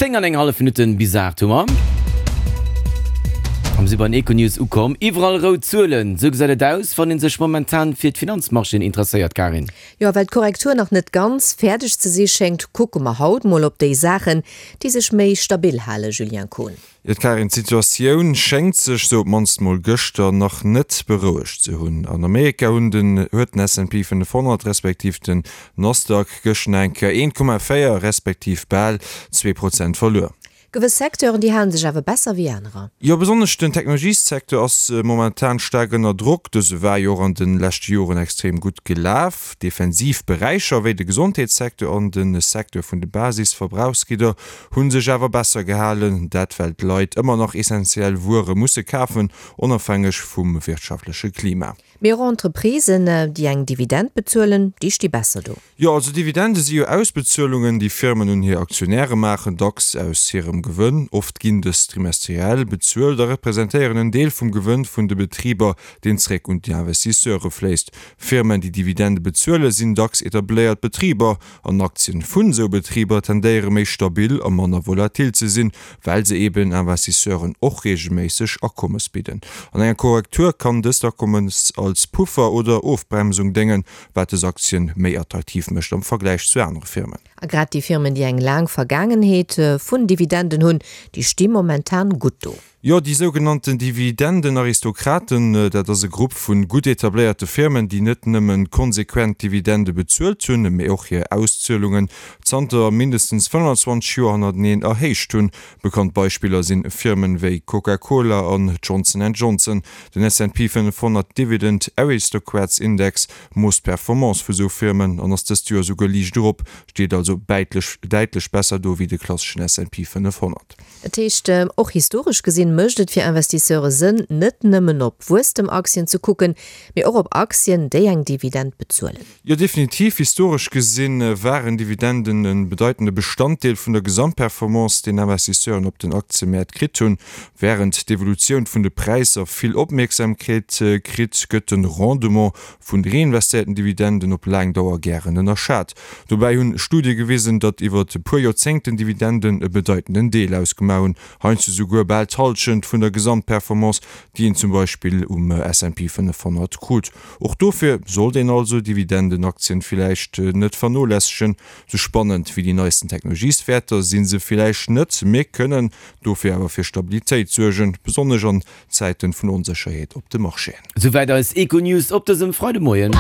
10 an eng hallef Minutten bis 8 hu mer. A mir si bei den Econews ukomm. Iwwerall rout Zuelen, esou gesäit et aus, wann ee sech momentan fir d'Finanzmarchéen interesséiert, Karin. Jo, a well d'Korrektur nach net ganz fäerdeg ze si schéngt, kucke mer haut mol op déi Saachen, déi sech méi stabil halen, Julien Kohn. Jo, Karin, d'Situatioun schéngt sech, sou op d'mannst mol gëschter, nach net berouegt ze hunn. An Amerika hunn den huet den S&P 500 respektiv den Nasdaq gëscht nach eng Kéier 1,4 respektiv bal 2 Prozent verluer. Gewëss Secteuren, déi hale sech awer besser wéi anerer. Jo, besonnesch den Technologiessecteur ass momentan staark ënner Drock. Dëse war jo och an de leschte Joren extrem gutt gelaf. Defensiv Beräicher wéi de Gesondheetssecteur an de Secteur vun de Basisverbrauchsgidder Hunn sech awer besser gehalen, dat well d'Leit ëmmer nach essentiell Wuere musse kafen, onofhängeg vum wirtschaftleche Klima. Mee och Entreprisen, déi eng Dividend bezuelen, déi sti besser do. Jo, also Dividende si jo Ausbezuelungen, déi Firmen un hir Aktionäre maachen, dacks aus hirem Gewënn. Oft ginn dës trimestriell bezuelt a representéieren en Deel vum Gewënn vun de Betriber, deen zréck un d'Investisseure fléisst. Firmen, déi Dividende bezuelen, sinn dacks etabléiert Betriber, An Aktien vun esou Betriber tendéiere méi stabil a manner volatil ze sinn, well se eben Investisseuren och reegelméisseg Akommes bidden. An enger Korrektur kann dëst Akommes als Puffer oder Ofbremsung déngen, wat dës Aktien méi attraktiv mécht am Vergläich zu anere Firmen. A grad déi Firmen, déi eng laang Vergaangenheet vun Dividenden hunn, déi sti momentan gutt do. Jo, déi sougenannten Dividendenaristokraten, dat ass e Grupp vu gutt etabléierte Firmen, déi net nëmme konsequent Dividende bezuelt hunn, mee och hir Auszuelungen zanter mindestens 25 Joer hannerteneen erhéicht hunn. Bekannt Beispiller sinn Firmen wéi Coca-Cola an Johnson and Johnson. Den S&P 500 Dividend Aristocrats Index moosst d'Performance vu sou Firmen an ass dëst Joer souguer liicht erop, steet also däitlech besser do wéi de klasseschen S&P 500. Dat heescht, och historesch gesinn, mécht et fir Investisseure Sënn, net nëmmen op Wuesstem-Aktien ze kucken, mee och op Aktien, déi eng Dividend bezuelen. Jo, definitiv. Historesch gesinn waren Dividenden e bedeitende Bestanddeel vun der Gesamtperformance, deen Investisseuren op den Aktiemäert kritt hunn. Wärend d'Evolutioun vun de Präisser vill Opmierksamkeet kritt, gëtt de Rendement vun reinvestéierten Dividenden op laang Dauer gären ënnerschat. Dobäi hunn Studie gewisen, datt iwwer e puer Joerzéngten Dividenden e bedeitenden Deel ausgemaach hunn, heiansdo souguer bal d'Hallschent vun der Gesamtperformance, déi een zum Beispill um S&P 500 krut. Och dofir sollt een also Dividendenaktien villäicht net vernolässegen. Sou spannend wéi déi neisten Technologieswäerter si se villäicht net, mee kënnen dofir awer fir Stabilitéit suergen, besonnesch an Zäiten vun Onsécherheet op de Marchéen. Souwäit eis Econews op dësem Freidemoien.